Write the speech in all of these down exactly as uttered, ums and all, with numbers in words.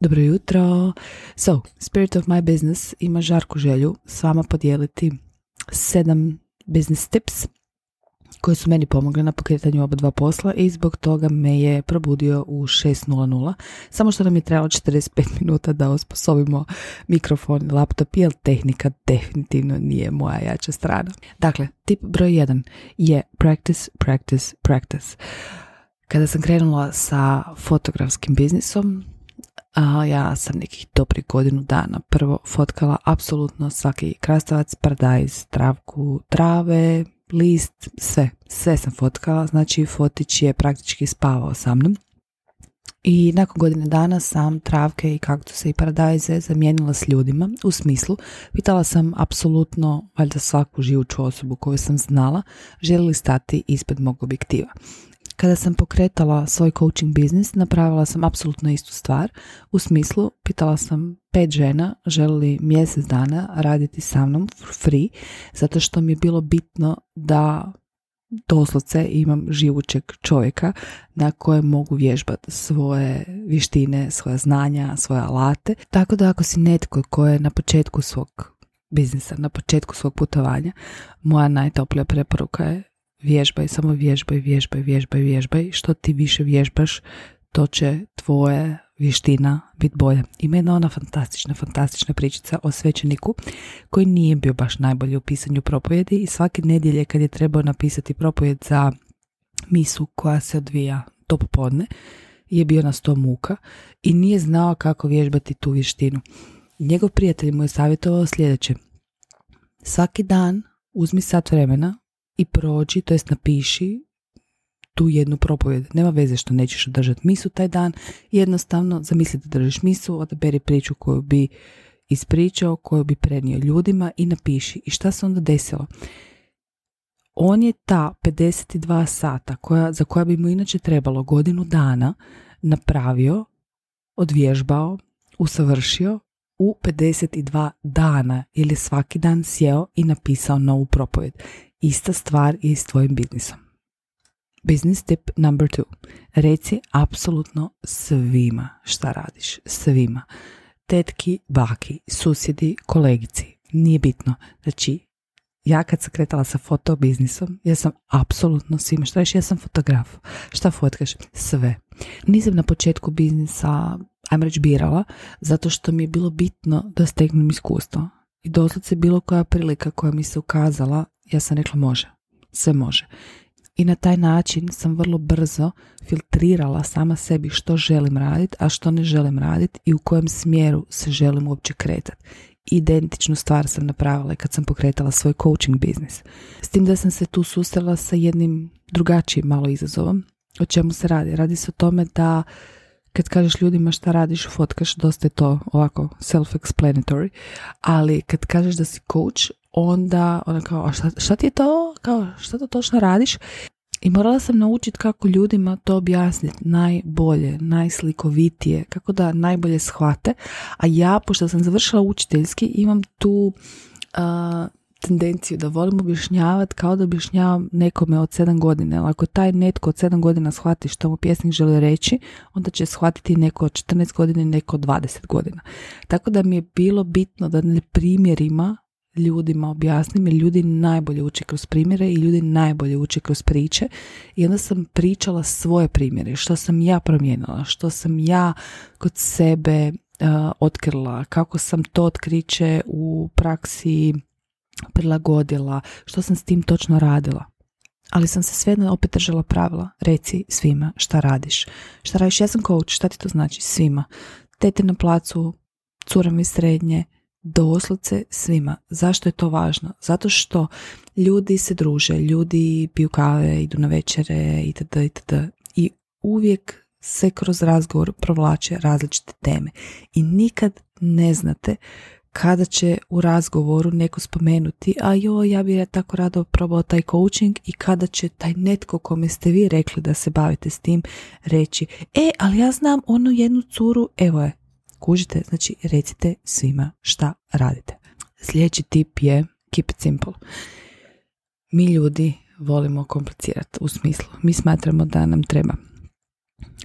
Dobro jutro. So, Spirit of My Business ima žarku želju s vama podijeliti sedam business tips koji su meni pomogli na pokretanju oba dva posla i zbog toga me je probudio u šest nula nula. Samo što nam je trebalo četrdeset pet minuta da osposobimo mikrofon i laptop, jer tehnika definitivno nije moja jača strana. Dakle, tip broj jedan je practice, practice, practice. Kada sam krenula sa fotografskim biznisom, a ja sam nekih dobrih godinu dana prvo fotkala apsolutno svaki krastavac, paradajz, travku, trave, list, sve, sve sam fotkala, znači fotić je praktički spavao sa mnom. I nakon godine dana sam travke i kaktuse i paradajze zamijenila s ljudima, u smislu pitala sam apsolutno valjda svaku živuću osobu koju sam znala želi li stati ispred mog objektiva. Kada sam pokretala svoj coaching biznis, napravila sam apsolutno istu stvar. U smislu, pitala sam pet žena želi li mjesec dana raditi sa mnom for free, zato što mi je bilo bitno da doslovce imam živućeg čovjeka na kojem mogu vježbati svoje vještine, svoja znanja, svoje alate. Tako da ako si netko koji je na početku svog biznisa, na početku svog putovanja, moja najtoplija preporuka je vježbaj, samo vježbaj, vježbaj, vježbaj, vježbaj. Što ti više vježbaš, to će tvoje vještina biti bolja. Ima jedna ona fantastična, fantastična pričica o svećeniku koji nije bio baš najbolji u pisanju propovjedi i svake nedjelje kad je trebao napisati propovjed za misu koja se odvija to popodne, je bio na sto muka i nije znao kako vježbati tu vještinu. Njegov prijatelj mu je savjetovao sljedeće: svaki dan uzmi sat vremena i prođi, to jest napiši tu jednu propovjed. Nema veze što nećeš održati misu taj dan, jednostavno zamisli da držiš misu, odaberi priču koju bi ispričao, koju bi prenio ljudima i napiši. I šta se onda desilo? On je ta pedeset dva sata koja, za koja bi mu inače trebalo godinu dana napravio, odvježbao, usavršio u pedeset dva dana, jer je svaki dan sjeo i napisao novu propovjed. Ista stvar je i s tvojim biznisom. Business tip number two. Reci apsolutno svima šta radiš. Svima. Tetki, baki, susjedi, kolegici. Nije bitno. Znači, ja kad sam kretala sa fotobiznisom, ja sam apsolutno svima. Šta reći, ja sam fotograf. Šta fotkaš? Sve. Nisam na početku biznisa, ajmo reći, birala, zato što mi je bilo bitno da steknem iskustvo. I doslovce bilo koja prilika koja mi se ukazala, ja sam rekla može, sve može. I na taj način sam vrlo brzo filtrirala sama sebi što želim raditi, a što ne želim raditi i u kojem smjeru se želim uopće kretati. Identičnu stvar sam napravila kad sam pokretala svoj coaching biznis. S tim da sam se tu susrela sa jednim drugačijim malo izazovom. O čemu se radi? Radi se o tome da kad kažeš ljudima šta radiš, fotkaš, dosta je to ovako self-explanatory, ali kad kažeš da si coach, onda ona kao, a šta, šta ti je to? Kao, šta to točno radiš? I morala sam naučiti kako ljudima to objasniti najbolje, najslikovitije, kako da najbolje shvate. A ja, pošto sam završila učiteljski, imam tu uh, tendenciju da volim objašnjavati kao da objašnjavam nekome od sedam godina. Ali ako taj netko od sedam godina shvati što mu pjesnik želi reći, onda će shvatiti neko od četrnaest godina i neko od dvadeset godina. Tako da mi je bilo bitno da na primjerima ljudima objasnim, jer ljudi najbolje uče kroz primjere i ljudi najbolje uče kroz priče. I onda sam pričala svoje primjere, što sam ja promijenila, što sam ja kod sebe uh, otkrila, kako sam to otkriće u praksi prilagodila, što sam s tim točno radila. Ali sam se svejedno opet držala pravila. Reci svima šta radiš. Šta radiš? Ja sam coach, šta ti to znači? Svima. Tete na placu, curama iz srednje, doslovce svima. Zašto je to važno? Zato što ljudi se druže, ljudi piju kave, idu na večere itd. itd. I uvijek se kroz razgovor provlače različite teme. I nikad ne znate kada će u razgovoru neko spomenuti, a joj, ja bih tako rado probao taj coaching, i kada će taj netko kome ste vi rekli da se bavite s tim reći, e, ali ja znam onu jednu curu, evo je. Kužite, znači recite svima šta radite. Sljedeći tip je keep it simple. Mi ljudi volimo komplicirati, u smislu, mi smatramo da nam treba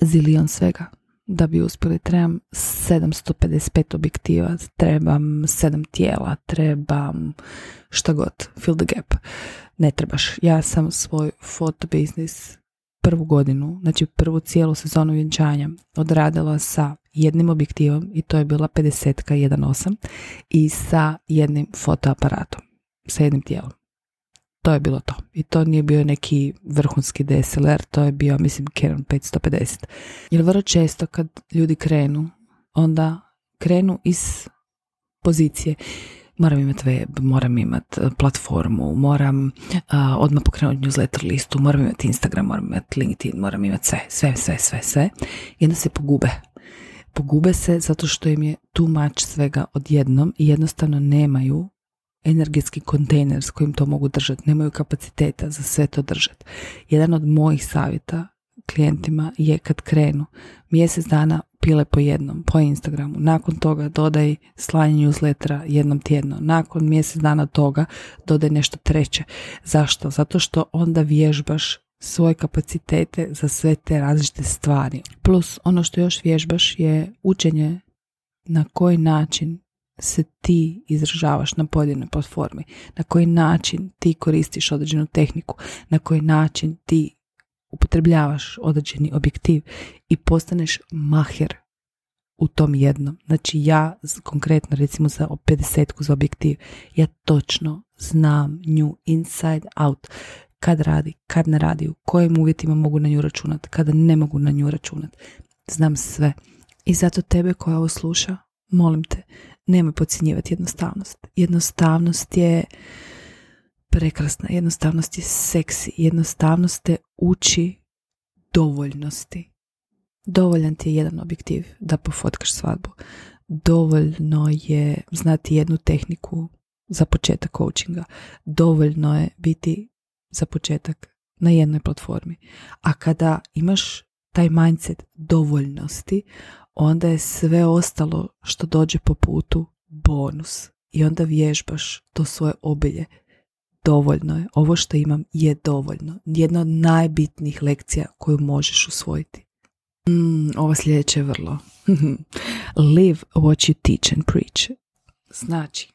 zilion svega. da bi uspjeli. Trebam sedamsto pedeset pet objektiva, trebam sedam tijela, trebam šta god, fill the gap. Ne trebaš. Ja sam svoj fotobiznis prvu godinu, znači prvu cijelu sezonu vjenčanja odradila sa jednim objektivom i to je bila pedeset jedan osam i sa jednim fotoaparatom, sa jednim tijelom. To je bilo to. I to nije bio neki vrhunski D S L R, to je bio, mislim, Canon petsto pedeset. Jer vrlo često kad ljudi krenu, onda krenu iz pozicije moram imati web, moram imati platformu, moram uh, odmah pokrenuti newsletter listu, moram imati Instagram, moram imati LinkedIn, moram imati sve, sve, sve, sve, sve. I onda se pogube. Pogube se zato što im je too much svega odjednom i jednostavno nemaju energetski kontejner s kojim to mogu držati, nemaju kapaciteta za sve to držati. Jedan od mojih savjeta klijentima je kad krenu mjesec dana pile po jednom, po Instagramu, nakon toga dodaj slanje newslettera jednom tjedno, nakon mjesec dana toga dodaj nešto treće. Zašto? Zato što onda vježbaš svoje kapacitete za sve te različite stvari. Plus ono što još vježbaš je učenje na koji način se ti izražavaš na pojedinoj platformi, na koji način ti koristiš određenu tehniku, na koji način ti upotrebljavaš određeni objektiv i postaneš maher u tom jednom. Znači ja konkretno recimo za pedesetku za objektiv, ja točno znam nju inside out, kad radi, kad ne radi, u kojim uvjetima mogu na nju računati, kada ne mogu na nju računati. Znam sve. I zato tebe koja ovo sluša, molim te, nemoj podcjenjivati jednostavnost. Jednostavnost je prekrasna, jednostavnost je seksi, jednostavnost te uči dovoljnosti. Dovoljan ti je jedan objektiv da pofotkaš svadbu. Dovoljno je znati jednu tehniku za početak coachinga. Dovoljno je biti za početak na jednoj platformi. A kada imaš taj mindset dovoljnosti, onda je sve ostalo što dođe po putu bonus. I onda vježbaš to svoje obilje. Dovoljno je. Ovo što imam je dovoljno. Jedna od najbitnijih lekcija koju možeš usvojiti. Mm, ovo sljedeće je vrlo. Live what you teach and preach. Znači,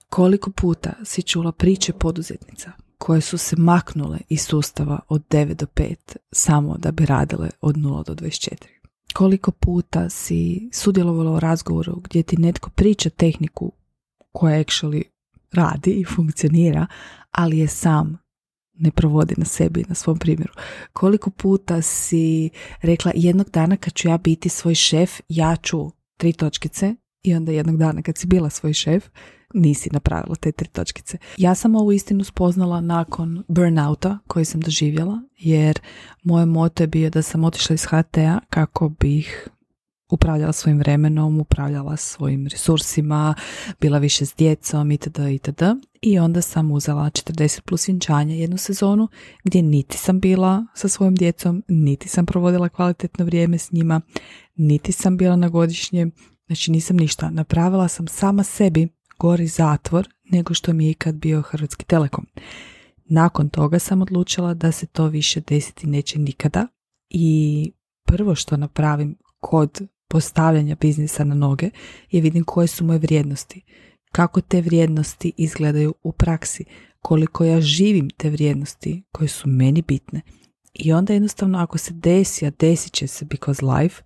koliko puta si čula priče poduzetnica koje su se maknule iz sustava od devet do pet samo da bi radile od nula do dvadeset četiri. Koliko puta si sudjelovala u razgovoru gdje ti netko priča tehniku koja actually radi i funkcionira, ali je sam ne provodi na sebi, na svom primjeru. Koliko puta si rekla jednog dana kad ću ja biti svoj šef, ja ću tri točkice i onda jednog dana kad si bila svoj šef, nisi napravila te tri točkice. Ja sam ovu istinu spoznala nakon burnouta koji sam doživjela, jer moje moto je bio da sam otišla iz H T-a kako bih upravljala svojim vremenom, upravljala svojim resursima, bila više s djecom itd. itd. I onda sam uzela četrdeset plus vjenčanja jednu sezonu gdje niti sam bila sa svojim djecom, niti sam provodila kvalitetno vrijeme s njima, niti sam bila na godišnjem, znači nisam ništa. Napravila sam sama sebi gori zatvor nego što mi je ikad bio Hrvatski Telekom. Nakon toga sam odlučila da se to više desiti neće nikada i prvo što napravim kod postavljanja biznisa na noge je vidim koje su moje vrijednosti, kako te vrijednosti izgledaju u praksi, koliko ja živim te vrijednosti koje su meni bitne. I onda jednostavno ako se desi, a desit će se because life,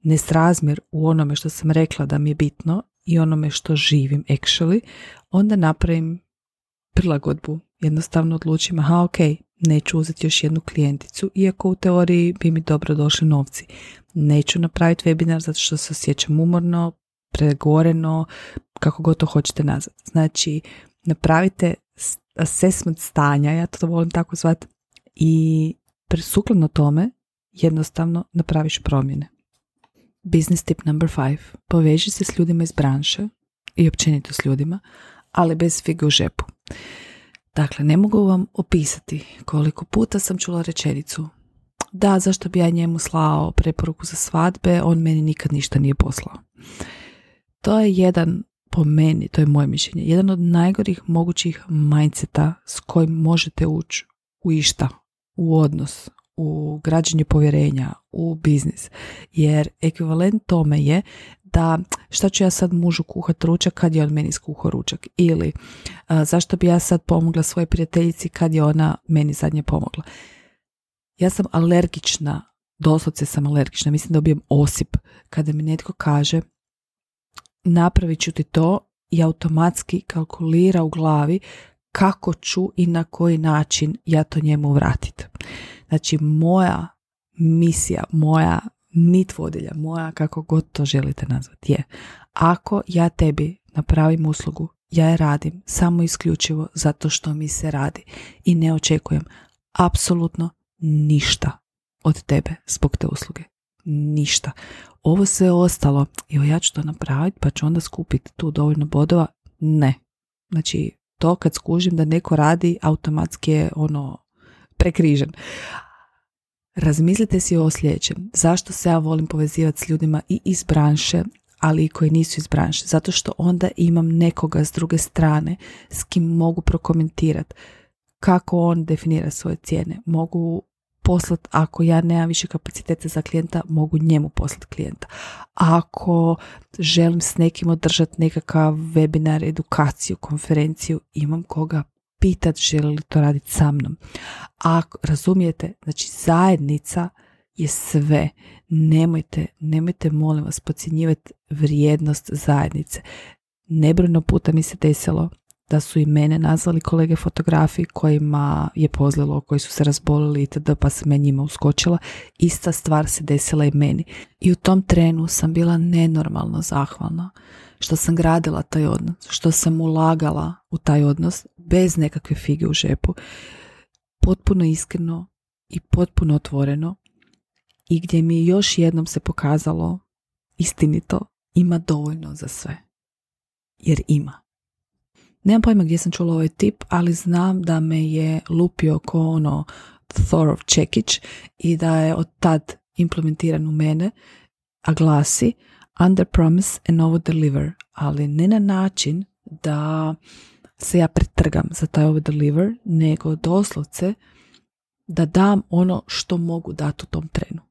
nesrazmjer u onome što sam rekla da mi je bitno i onome što živim actually, onda napravim prilagodbu. Jednostavno odlučim, aha, ok, neću uzeti još jednu klijenticu, iako u teoriji bi mi dobro došli novci. Neću napraviti webinar zato što se osjećam umorno, pregoreno, kako god to hoćete nazvati. Znači, napravite assessment stanja, ja to volim tako zvati, i sukladno tome jednostavno napraviš promjene. Business tip number five. Poveži se s ljudima iz branše i općenito s ljudima, ali bez fige u žepu. Dakle, ne mogu vam opisati koliko puta sam čula rečenicu da, zašto bi ja njemu slao preporuku za svadbe, on meni nikad ništa nije poslao. To je jedan, po meni, to je moje mišljenje, jedan od najgorih mogućih mindseta s kojim možete ući u išta, u odnos, u građenju povjerenja, u biznis. Jer ekvivalent tome je da šta ću ja sad mužu kuhat ručak kad je on meni skuhao ručak, ili a, zašto bi ja sad pomogla svojoj prijateljici kad je ona meni zadnje pomogla. Ja sam alergična, doslovce sam alergična, mislim da dobijem osip kada mi netko kaže napravit ću ti to i automatski kalkulira u glavi kako ću i na koji način ja to njemu vratiti. Znači moja misija, moja nit vodilja, moja kako god to želite nazvati je, ako ja tebi napravim uslugu, ja je radim samo isključivo zato što mi se radi i ne očekujem apsolutno ništa od tebe zbog te usluge. Ništa. Ovo sve ostalo, evo ja ću to napraviti pa ću onda skupiti tu dovoljno bodova. Ne. Znači to kad skužim da neko radi automatski je ono prekrižen. Razmislite si o sljedećem. Zašto se ja volim povezivati s ljudima i iz branše, ali i koji nisu iz branše? Zato što onda imam nekoga s druge strane s kim mogu prokomentirati kako on definira svoje cijene. Mogu poslati, ako ja nemam više kapaciteta za klijenta, mogu njemu poslati klijenta. Ako želim s nekim održati nekakav webinar, edukaciju, konferenciju, imam koga pitat želi li to raditi sa mnom. Ako razumijete, znači zajednica je sve. Nemojte, nemojte molim vas podcjenjivati vrijednost zajednice. Nebrojno puta mi se desilo da su i mene nazvali kolege fotografi kojima je pozlilo, koji su se razbolili itd. Pa sam ja njima uskočila. Ista stvar se desila i meni. I u tom trenu sam bila nenormalno zahvalna što sam gradila taj odnos, što sam ulagala u taj odnos bez nekakve fige u žepu. Potpuno iskreno i potpuno otvoreno i gdje mi još jednom se pokazalo istinito, ima dovoljno za sve. Jer ima. Nemam pojma gdje sam čula ovaj tip, ali znam da me je lupio ko ono Thorov čekić i da je od tad implementiran u mene, a glasi under promise and over deliver, ali ne na način da se ja pretrgam za taj over deliver, nego doslovce da dam ono što mogu dati u tom trenu.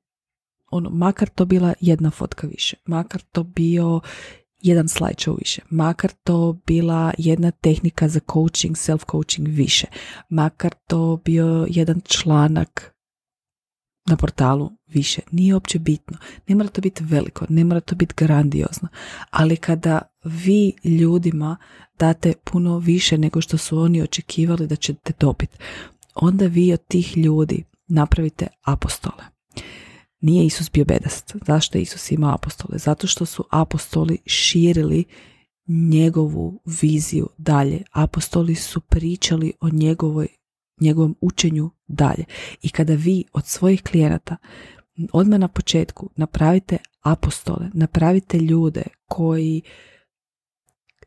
Ono, makar to bila jedna fotka više, makar to bio jedan slideshow više, makar to bila jedna tehnika za coaching, self-coaching više, makar to bio jedan članak na portalu više, nije uopće bitno. Ne mora to biti veliko, ne mora to biti grandiozno, ali kada vi ljudima date puno više nego što su oni očekivali da ćete dobiti, onda vi od tih ljudi napravite apostole. Nije Isus bio bedast. Zašto je Isus imao apostole? Zato što su apostoli širili njegovu viziju dalje. Apostoli su pričali o njegovoj, njegovom učenju dalje. I kada vi od svojih klijenata odmah na početku napravite apostole, napravite ljude koji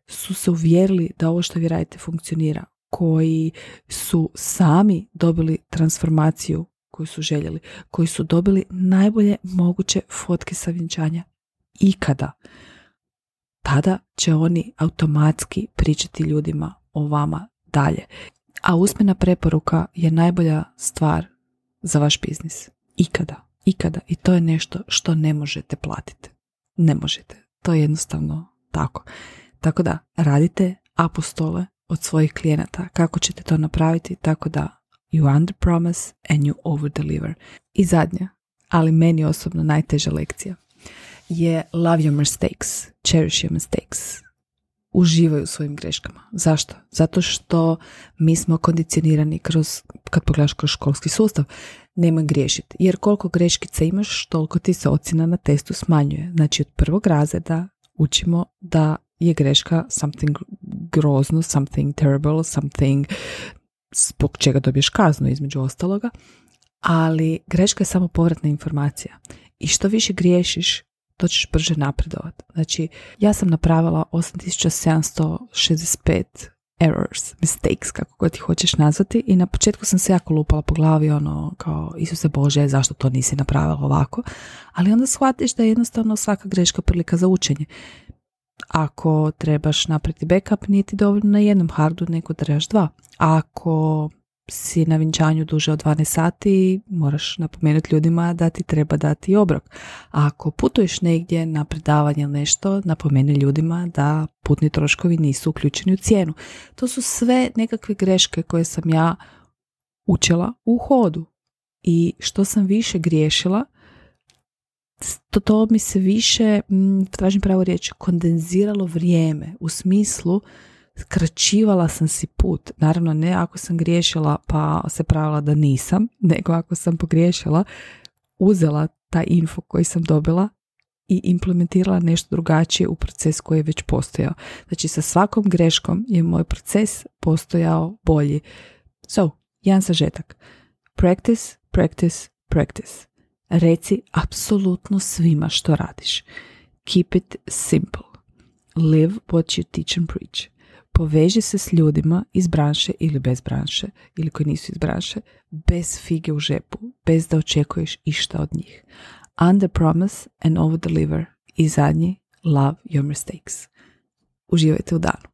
su se uvjerili da ovo što vi radite funkcionira, koji su sami dobili transformaciju koju su željeli, koji su dobili najbolje moguće fotke sa vjenčanja ikada, tada će oni automatski pričati ljudima o vama dalje. A usmena preporuka je najbolja stvar za vaš biznis. Ikada. Ikada. I to je nešto što ne možete platiti. Ne možete. To je jednostavno tako. Tako da radite apostole od svojih klijenata. Kako ćete to napraviti? Tako da you under promise and you over deliver. I zadnja, ali meni osobno najteža lekcija je love your mistakes, cherish your mistakes. Uživaju u svojim greškama. Zašto? Zato što mi smo kondicionirani kroz, kad pogledaš kroz školski sustav, nemoj griješiti. Jer koliko greškice imaš, toliko ti se ocjena na testu smanjuje. Znači od prvog razreda učimo da je greška something grozno, something terrible, something zbog čega dobiješ kaznu između ostaloga, ali greška je samo povratna informacija. I što više griješiš, to ćeš brže napredovati. Znači, ja sam napravila osam tisuća sedamsto šezdeset pet errors, mistakes, kako god ti hoćeš nazvati, i na početku sam se jako lupala po glavi, ono, kao, Isuse Bože, zašto to nisi napravila ovako? Ali onda shvatiš da je jednostavno svaka greška prilika za učenje. Ako trebaš napraviti backup, nije ti dovoljno na jednom hardu, nego trebaš dva. Ako si na vjenčanju duže od dvanaest sati, moraš napomenuti ljudima da ti treba dati obrok. A ako putuješ negdje na predavanje ili nešto, napomeni ljudima da putni troškovi nisu uključeni u cijenu. To su sve nekakve greške koje sam ja učila u hodu. I što sam više griješila, to, to mi se više, tražim pravo riječ, kondenziralo vrijeme. U smislu, skraćivala sam si put. Naravno, ne ako sam griješila pa se pravila da nisam, nego ako sam pogriješila, uzela taj info koji sam dobila i implementirala nešto drugačije u proces koji je već postojao. Znači, sa svakom greškom je moj proces postojao bolji. So, jedan sažetak. Practice, practice, practice. Reci apsolutno svima što radiš. Keep it simple. Live what you teach and preach. Poveži se s ljudima iz branše ili bez branše, ili koji nisu iz branše, bez fige u žepu, bez da očekuješ išta od njih. Under promise and over deliver. I zadnji, love your mistakes. Uživajte u danu.